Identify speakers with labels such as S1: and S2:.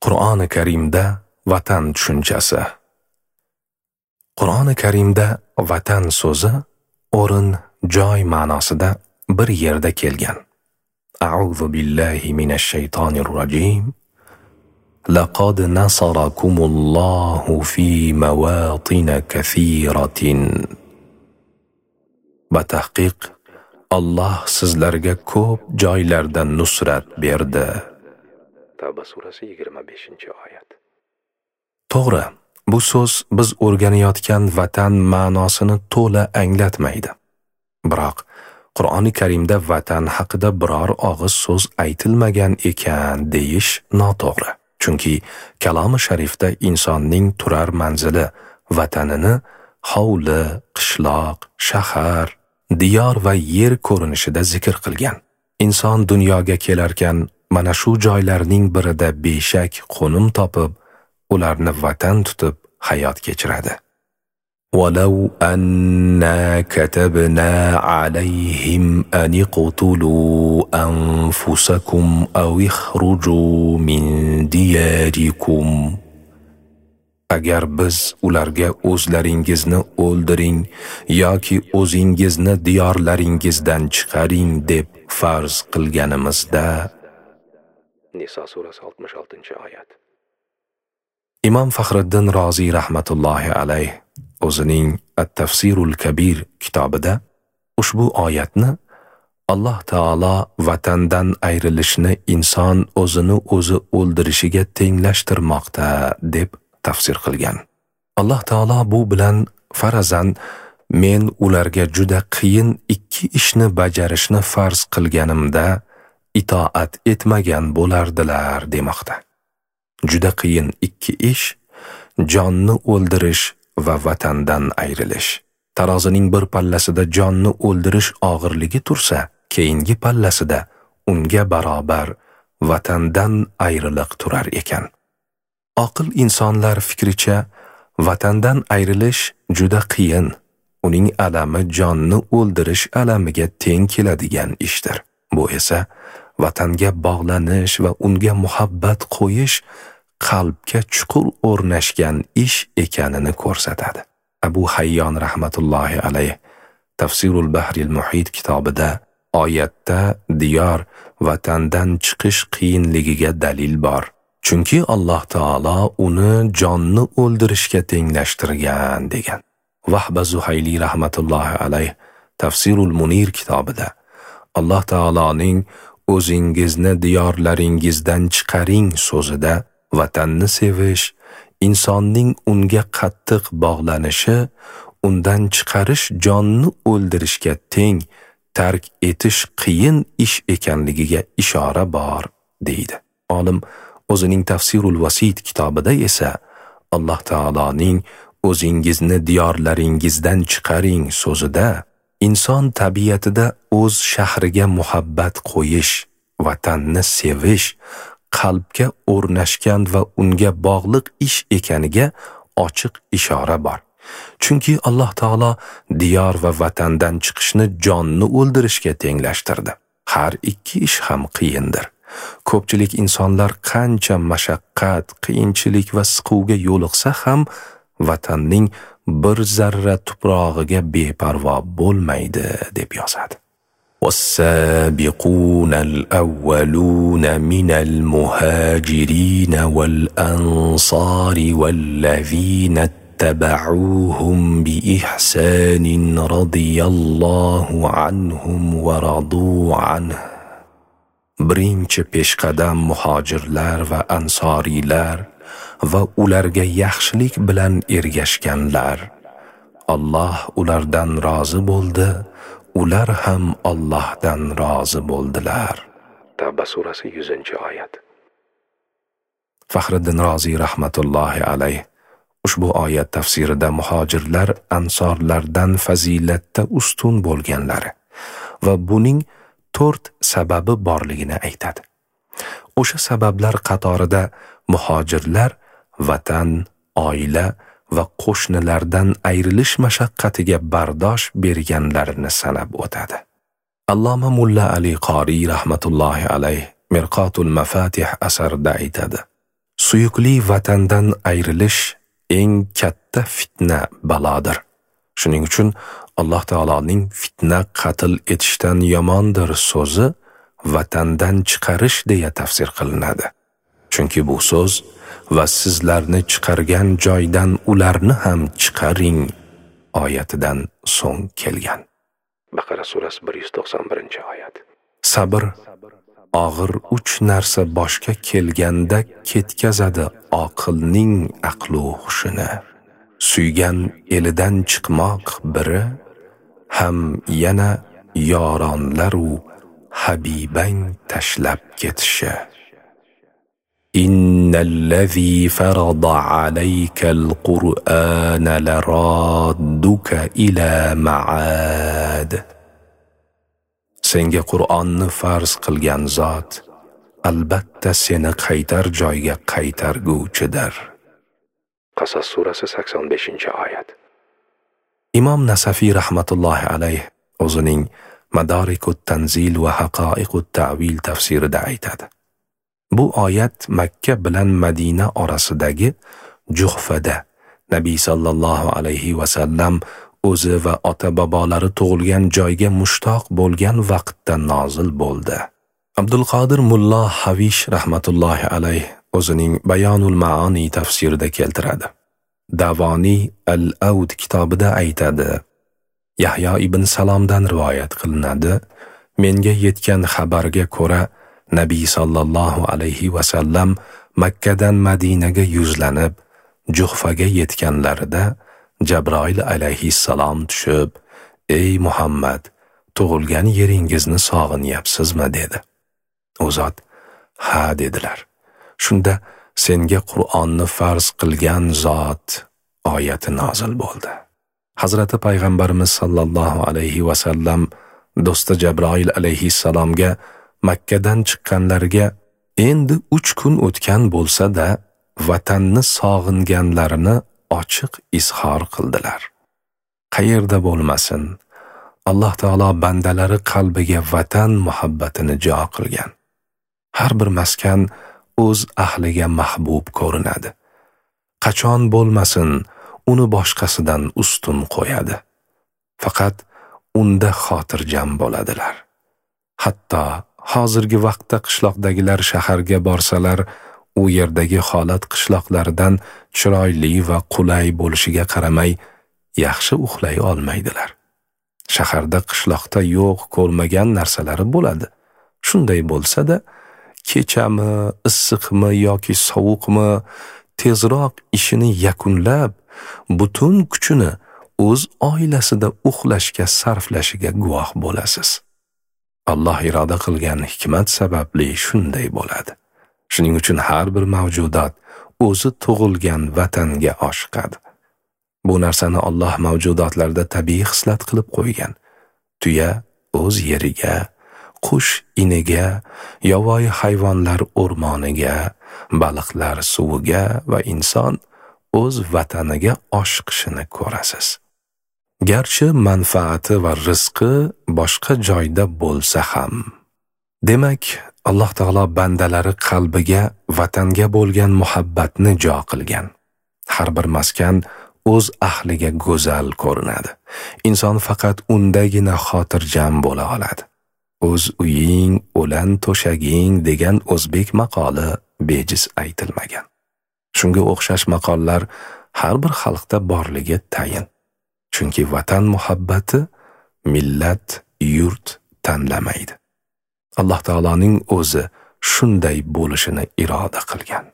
S1: Qur'oni Karimda vatan tushunchasi. Qur'oni Karimda vatan so'zi o'rin, joy ma'nosida bir yerda kelgan. A'udhu billahi minash shaytonir rojim. Laqad nasarakumullohu fi mawatin kathiratin. Batahqiq Alloh sizlarga ko'p joylarda nusrat berdi.
S2: Tavba surasi 25-oyat.
S1: To'g'ri, bu so'z biz o'rganayotgan vatan ma'nosini to'la anglatmaydi. Biroq Qur'oni Karimda vatan haqida biror og'iz so'z aytilmagan ekan deyish noto'g'ri. Chunki kalomi sharifda insonning turar manzili, vatanini hovli, qishloq, shahar, diyor va yer ko'rinishida zikr qilgan. Inson dunyoga kelarkan mana shu joylarning birida beshak qo'nim topib, ularni vatan tutib hayot kechiradi. ولو أنا كتبنا عليهم أن اقتلوا أنفسكم أو اخرجوا من دياركم. Agar biz ularga o'zlaringizni o'ldiring yoki o'zingizni diyorlaringizdan chiqaring deb farz qilganimizda.
S2: Niso surasi 66-oyat.
S1: Imom Faxriddin Roziy rahmatullohi alayh o'zining At-Tafsirul Kabir kitobida ushbu oyatni Alloh taolo vatandan ayrilishni inson o'zini o'zi o'ldirishiga tenglashtirmoqda deb tafsir qilgan. Alloh taolo bu bilan farazan men ularga juda qiyin ikki ishni bajarishni farz qilganimda itoat etmagan bo'lardilar demoqda. Juda qiyin ikki ish jonni o'ldirish va vatandan ayrilish. Tarozining bir pallasida jonni o'ldirish og'irligi tursa, keyingi pallasida unga barobar vatandan ayriliq turar ekan. Oqil insonlar fikricha vatandan ayrilish juda qiyin, uning alami jonni o'ldirish alamiga teng keladigan ishdir. Bu esa vatanga bog'lanish va unga muhabbat qo'yish qalbga chuqur o'rnashgan ish ekanini ko'rsatadi. Abu Hayyon rahmatullohi alayh Tafsirul Bahril Muhit kitobida oyatda diyor vatandan chiqish qiyinligiga dalil bor. Chunki Alloh taolo uni jonni o'ldirishga tenglashtirgan degan. Vahba Zuhayli rahmatullohi alayh Tafsirul Munir kitobida Alloh taoloning o'zingizni diyorlaringizdan chiqaring so'zida vatanni sevish, insonning unga qattiq bog'lanishi, undan chiqarish jonni o'ldirishga teng, tark etish qiyin ish ekanligiga ishora bor deydi. Olim o'zining Tafsirul Vasit kitobida esa Alloh taoloning o'zingizni diyorlaringizdan chiqaring so'zida inson tabiatida o'z shahriga muhabbat qo'yish, vatanni sevish qalbga o'rnashgan va unga bog'liq ish ekaniga ochiq ishora bor. Chunki Alloh taolo diyor va vatandan chiqishni jonni o'ldirishga tenglashtirdi. Har ikki ish ham qiyindir. Ko'pchilik insonlar qancha mashaqqat, qiyinchilik va siquvga yo'liqsa ham vatanning bir zarra tuprog'iga beparvo bo'lmaydi deb yozadi. والسابقون الأولون من المهاجرين والأنصار والذين اتبعوهم بإحسان رضي الله عنهم ورضوا عنه. Birinchi peshqadam muhojirlar va ansoriylar va ularga yaxshilik bilan ergashganlar, Alloh ulardan rozi bo'ldi, ular ham Allohdan rozi bo'ldilar.
S2: Tavba surasi 100-oyat.
S1: Faxriddin Roziy rahmatullohi alayh ushbu oyat tafsirida muhojirlar ansorlardan fazilatda ustun bo'lganlari va buning 4 sababi borligini aytadi. O'sha sabablar qatorida muhojirlar vatan, oila va qo'shnilardan ayrilish mashaqqatiga bardosh berganlarini sanab o'tadi. Alloma Mulla Ali Qoriy rahmatullohi alayh Mirqotul Mafatih asarida aytadi: Suyukli vatandan ayrilish eng katta fitna balodir. Shuning uchun Alloh taoloning fitna qatl etishdan yomondir so'zi vatandan chiqarish deya tafsir qilinadi. Chunki bu so'z va sizlarni chiqargan joydan ularni ham chiqaring oyatidan so'ng kelgan.
S2: Baqara surasi 191-oyat.
S1: Sabr og'ir uch narsa boshga kelganda ketkazadi oqilning aqlu hushini. Suygan elidan chiqmoq biri, ham yana yoronlaru habibang tashlab ketishi. Innallazi farada alaykal Qur'ana laradduka ila ma'ad. Senga Qur'onni farz qilgan zot albatta seni qaytar joyga qaytarguvchidir.
S2: Qasas surasi 85-oyat.
S1: Imom Nasafiy rahmatullohi alayh o'zining Madarikut Tanzil va Haqoiqut Ta'vil tafsirida aytadi. Bu oyat Makka bilan Madina orasidagi Juhfada Nabiy sallallohu alayhi va sallam o'zi va ota-bobolari tug'ilgan joyga mushtoq bo'lgan vaqtda nozil bo'ldi. Abdulqodir Mulla Havish rahmatullohi alayh o'zining Bayonul Ma'oni tafsirida keltiradi. Davoniy Al-Avd kitobida aytadi. Yahyo ibn Salomdan rivoyat qilinadi. Menga yetgan xabarga ko'ra Nabiy sallallohu alayhi va sallam Makkadan Madinaga yuzlanib, Juhfaga yetganlarida Jabroil alayhissalom tushib, "Ey Muhammad, tug'ilgan yeringizni sog'inyapsizmi?" dedi. U zot, "Ha" dedilar. Shunda senga Qur'onni farz qilgan zot oyati nozil bo'ldi. Hazrati Payg'ambarimiz sallallohu alayhi va sallam do'sti Jabroil alayhissalomga Makkadan chiqqanlarga endi 3 kun o'tgan bo'lsa-da, vatanni sog'inganlarini ochiq izhor qildilar. Qayerda bo'lmasin, Alloh taolo bandalari qalbiga vatan muhabbatini jo qilgan. Har bir maskan o'z ahliga mahbub ko'rinadi. Qachon bo'lmasin, uni boshqasidan ustun qo'yadi. Faqat unda xotirjam bo'ladilar. Hatto hozirgi vaqtda qishloqdagilar shaharga borsalar, u yerdagi holat qishloqlardan chiroyli va qulay bo'lishiga qaramay, yaxshi uxlay olmaydilar. Shaharda qishloqda yo'q ko'rmagan narsalari bo'ladi. Shunday bo'lsa-da, kechami, issiqmi yoki sovuqmi, tezroq ishini yakunlab, butun kuchini o'z oilasida uxlashga sarflashiga guvoh bo'lasiz. Alloh iroda qilgan hikmat sababli shunday bo'ladi. Shuning uchun har bir mavjudot o'zi tug'ilgan vatanga oshiqadi. Bu narsani Alloh mavjudotlarda tabiiy xislat qilib qo'ygan. Tuya o'z yeriga, qush iniga, yovvoyi hayvonlar o'rmoniga, baliqlar suviga va inson o'z vataniga oshiqishini ko'rasiz. Garchi manfaati va rizqi boshqa joyda bo'lsa ham. Demak, Alloh taolo bandalari qalbiga vatanga bo'lgan muhabbatni jo qilgan. Har bir maskan o'z ahliga go'zal ko'rinadi. Inson faqat undagina xotirjam bo'la oladi. O'z uying, o'lan to'shaging degan o'zbek maqoli bejiz aytilmagan. Shunga o'xshash maqollar har bir xalqda borligi tayin. Chunki vatan muhabbati millat, yurt tanlamaydi. Alloh taoloning o'zi shunday bo'lishini iroda qilgan.